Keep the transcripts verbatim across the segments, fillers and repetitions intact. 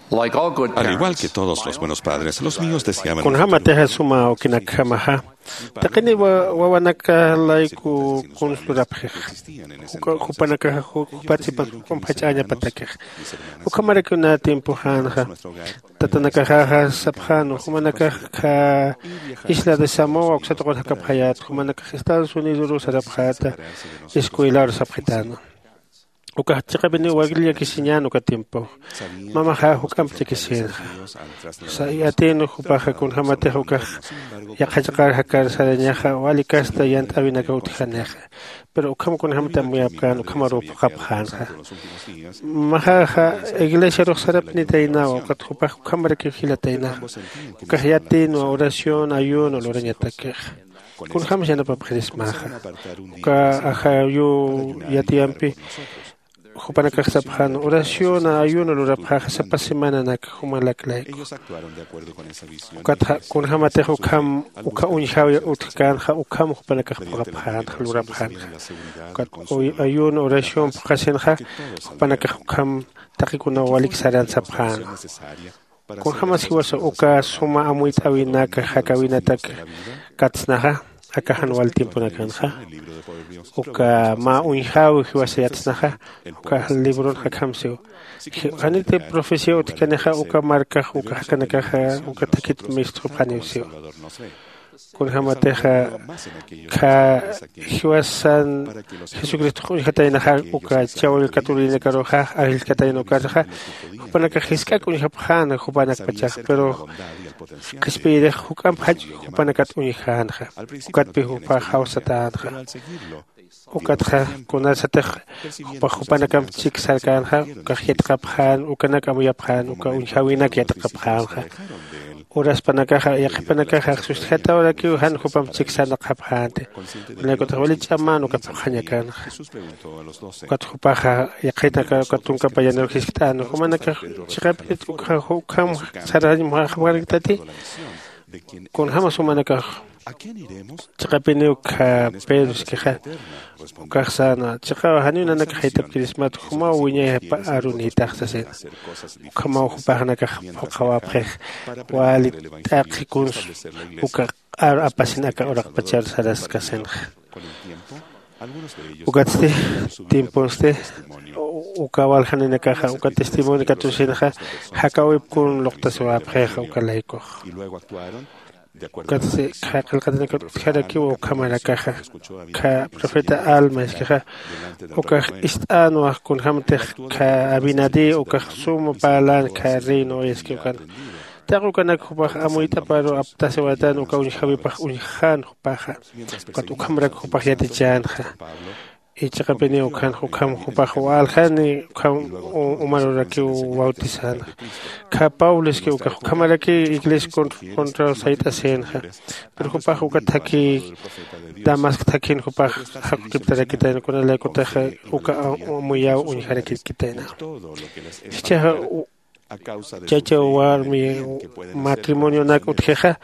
Al igual que todos los buenos padres, los míos deseaban un futuro. Kunjämatixa suma awkinakjamaxa taqini wawanaka layku kuns lurapxixa, jupanakaxa jupatsipan juk'amp jach'añapatakixa. Ukhamarakiw nä tiempoxänxa tatanakaxaxa sapxänwa jumanakax kha isla de samoa uksatuqur jakapxayät jumanakax estados unidorus sarapxäta escuelaru sapxitänwa. Ukax chiqapiniw wagli llakisiñän uka tiempox mamaxa juk'amp llakisïnxa. Sa iyatïnwa jupaxa kunjämatix ukax yaqha chiqar jakar sarañaxa wali kasta yant'äwinakaw utjanixa. Pero ukham kunjämati amuyapkän ukhamaruw phuqhapxänxa. Mamaxaxa iglesiarux sarapnitaynawa ukat jupax ukhamarakiw jilataynaxa. Ukax yatïnwa oración ayuno lurañatakixa. Kunjämsa yanapapxirismaxa uka ajayuw yatiyampi. Jupanakax sapxän oración ayuno lurapxäxa sapa semananak jumalak layku. Ukatxa kunjämatix ukham uka uñjäwi utjkänxa ukham jupanakax phuqhapxänxa lurapxänxa. Ukat ayuno oración phuqhasinxa jupanakax ukham taqikunaw walik saran sapxänwa. Kunjämas jiwasa uka suma amuyt'äwinak jakäwinatak katsnaxa aka jan wal tiemponakanxa uka mä uñjäwi jiwasa yatsnaxa uka libronxa akham siw. Janiti profecía utjkanixa uka markax uka jakanakaxa uka thakit mistxupxaniw siw. Kunjämatixa kha jiwasan jesucristox uñjataynaxa uka chawil katurinakaruxa ajillkatayna ukarxa jupanakax jisk'ak uñjapxäna jupanakpachax pero qhispiyirix juk'amp jach jupanakat uñjänxa. Ukatpi jupax jawsatänxa. Ukatxa kunasatix jupax jupanakamp chik sarkänxa ukax yatiqapxän ukanak amuyapxän uka uñjäwinak yatiqapxänxa. Uraspanakaxa yaqhipanakaxa sustjatawarakiw jan jupamp chik sarnaqxapxänti. Unaykutax wali ch'amän uka phuqhañakanxa. Ukat jupaxa yaqhitanaka uka tunka payanir jiskt'än jumanakax chiqapinit ukham sarañmaxapxaraktati. Kunjämas jumanakax chiqapiniw kha pedro iskixa ukax säna chiqaw janiw nanakax jaytapkirismat jumaw wiñayapa arunïtax sasina. Ukhamaw jupaxnakax phuqhawapxix wali t'aqhi kuns uka q'ar apasin aka uraqpachar saraskasinxa. Ukatsti tiemponsti uka waljaninakaxa uka testimonio katusinxa jakäwip kun luqtasiwapxixa uka laykux. Ukatsti kha qillqatinakat utjarakiw ukhamarakaxa kha profeta alma iskixa ukax ist'änwa kunjämtix kha abinadí ukax suma parlän kha reino iski ukan. Taq ukanak jupax amuyt'aparu aptasiwatän uka uñjäwipax uñjän jupaxa. Ukat ukhamarak jupax yatichänxa. Ichiqapiniw ukhanxa ukham jupax waljani ukham umarurakiw bautizänxa. Kha pablo iski ukax ukhamaraki iglesia contraw sayt'asïnxa. Pero jupax uka thakhi damasco thakhin jupax jaqukiptarakitayna kunalaykutaxa uka amuyäw uñjarakirkitayna. Jichhaxa chacha warmi matrimonionak utjixa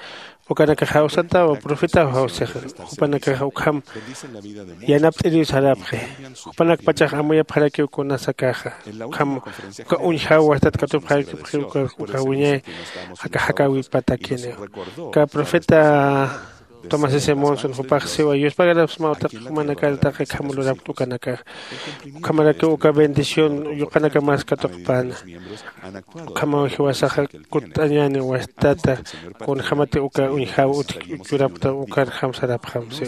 ukanakax jawsatawa profetaw jawsixa. Jupanakax ukham yanapt'iriw sarapxi. Jupanakpachax amuyapxarakiw kunasakaxa ukham uka uñjaw wastat katupxarakipxi uka wiñay aka jakäwipatakiniw. Uka profeta tomás s monson jupax siwa yuspagarapsmaw taqi jumanakar taqi kham lurapkt ukanakax. Ukhamarakiw uka bendición yuqanakamas katuqpäna. Ukhamaw jiwasaxa kutt'añäni wastata kunjämati uka uñjäw utjki uchurapkta ukarjam sarapxam siw.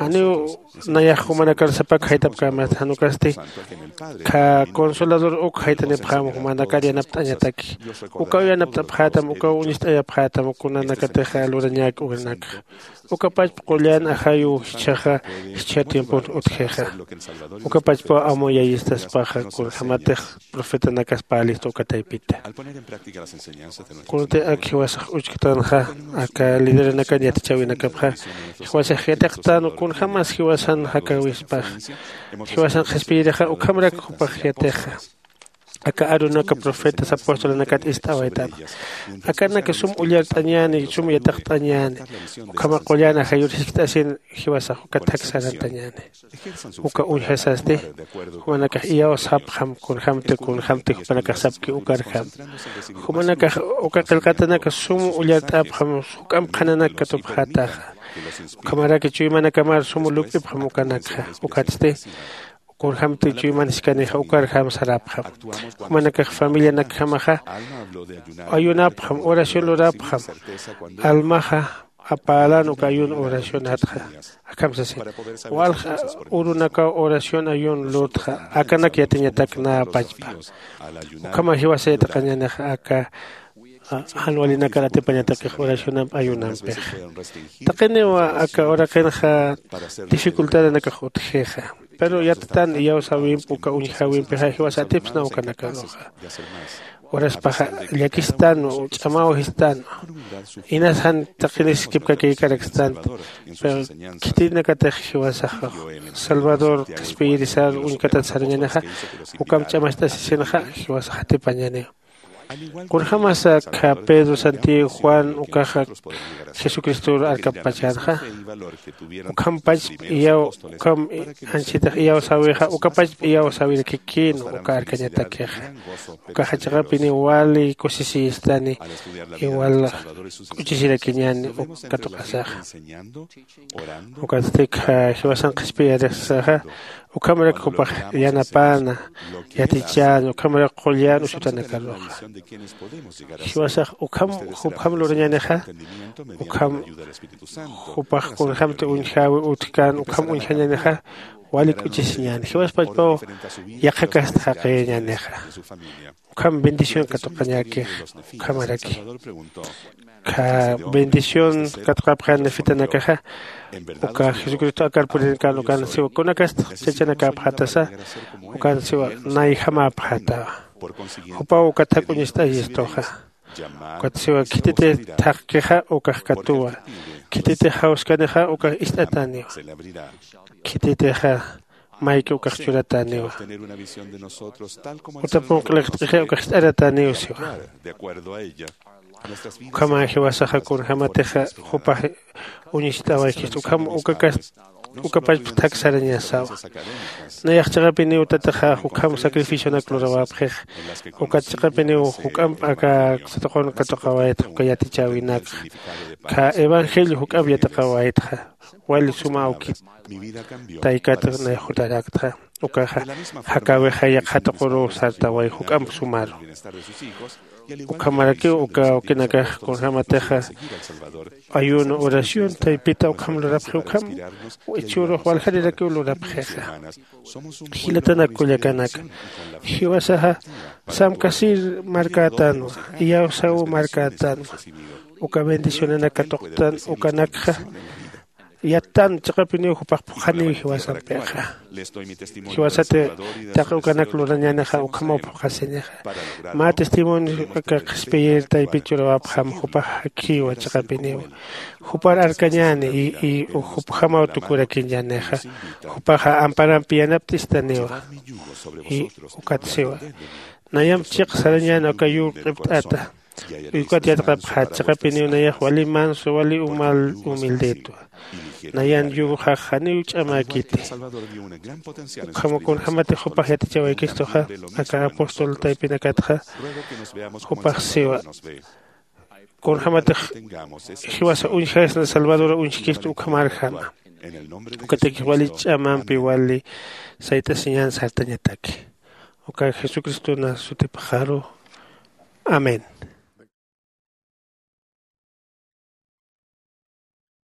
Janiw nayax jumanakar sapak jaytapkämasta jan ukasti kha consolador uk jaytanipxäma jumanakar yanapt'añataki. Ukaw yanapt'apxätam ukaw uñist'ayapxätam kunanakatixa lurañäki ukanakxa. Uka pachpa qullan ajayuw jichhaxa jichha tiempon utjixa. Uka pachpaw amuyayistaspaxa kunjämatix profetanakas parlista uka taypita. Kunti ak jiwasax uchktanxa aka lideranakan yatichäwinakapxa jiwasax yatiqtän kunjämas jiwasan jakäwispaxa. Jiwasan qhispiyirixa ukhamarak jupax yatixa. aka arunaka profetas apostolanakat ist'awaytama. Akanaka sum ullart'añäni sum yataqt'añäni. Ukhama qullan ajayur jiskt'asin jiwasax uka thak sarantañäni. Uka uñjasasti jumanakax iyawsapxam kunjämti kunjämti jupanakax sapki ukarjam. Jumanakax uka qillqatanaka sum ullart'apxam juk'amp qhananak katupxätaxa. Ukhamaraki chuymanakamar sum lup'ipxam ukanakxa. Ukatsti kunjämti chuyman jiskanixa ukarjam sarapxam. Jumanakax familianakjamaxa ayunapxam oración lurapxam. Almaxa apälan uka ayuno oracionatxa. Akham sasin walja urunakaw oración ayuno lurtxa. Akanak yatiñatak nä pachpa. Ukhama jiwasa yatiqañänixa aka jan walinakar atipañatakix oracionamp ayunampixa. Taqiniw aka uraqinxa dificultadanakax utjixa. Pero yattan iyawsäwimp uka uñjäwimpixa jiwasa atipsna ukanakaruxa. Uraspaxa llakistanwa ch'amaw jistan. Inas jan taqiniskipkakïkarakstant. Pero khitinakatix jiwasaxa salvador qhispiyirisar uñkatat sarañänixa. Ukamp ch'amacht'asisinxa jiwasax atipañäniw. Kunjämasa akha pedro santiago juan ukaxa jesucristor arkapachänxa. Ukham pachp iyaw ukham anchhitax iyawsäwixa uka pachp iyawsäwirakikïnwa uka arkañatakixa. Ukaxa chiqapiniw wali kusisiyistani. Iwal k'uchisirakiñäni uk katuqasaxa. Ukatsti jiwasan qhispiyarixsaxa ukhamarak jupax yanapäna yatichäna ukhamarak qullan usutanakaruxa. Jiwasax ukham jupjam lurañänixa. Ukham jupax kunjämti uñjäwi utjkän ukham uñjañänixa. Wali k'uchisiñäni jiwas pachpaw yaqhakast jaqiyañänixa. Ukham bendición katuqañäkix. Ukhamaraki ukkha bendición katuqapxän nefitanakaxa. Uka jesucristo akar puririnkan ukan siwa kunakast chachanakäpxätasa. Ukan siwa nayjamäpxätawa. Jupaw ukat jak'uñist'ayistuxa. Ukat siwa khititix thaqkixa ukax katuwa. Khititix jawskanixa ukax ist'atäniwa. Khititixa mayki ukax churatäniwa. Uta punq'liqt'ixi ukax ist'aratäniw siwa. Ukhama jiwasaxa kunjämatixa jupax uñist'awaykistu ukham ukakas ukapachpa thak sarañasawa. Nayax chiqapiniw tataxa ukham sacrificionak lurawapxix. Ukat chiqapiniw juk'amp aka satuqun katuqawaytxa uka yatichäwinakxa. Ukkha evangelio juk'amp yatiqawaytxa. Wali suma awkit taykat nayxutaraktxa. Ukaxa jakäwixa yaqha tuquruw sartaway juk'amp sumaru. Ukhamarakiw uka awkinakax kunjämatixa ayuno oración taypita ukham lurapxi ukham ichhürux waljarirakiw lurapxixa. Jilatanak kullakanaka jiwasaxa samkasir markätänwa. Iyawsaw markätänwa. Uka bendicionanak katuqtän ukanakxa yattan chiqapiniw jupax phuqhaniw jiwasampixa. Jiwasati taqi ukanak lurañänixa ukhamaw phuqhasinixa. Mä testimonio aka qhispiyir taypit churawapxam jupax jakhiwa chiqapiniw. Jupar arkañäni y jupjamaw tukurakiñänixa. Jupaxa amparampi yanapt'istaniwa. Y ukat siwa nayamp chiq sarañäni aka yur q'ipt'ata. Ukat yatqapxät chiqapiniw nayax wali manso wali umal humildetwa. Nayan yuruxax janiw ch'amäkiti. Ukhama kunjämatix jupax yatichawaykistuxa aka apóstol taypinakatxa. Jupax siwa kunjämatix jiwasa uñjasna salvadora uñjkistu ukhamarjama. Ukatakix wali ch'amampi wali sayt'asiñän sartañataki. Uka jesucristona sutipxaru. Amén.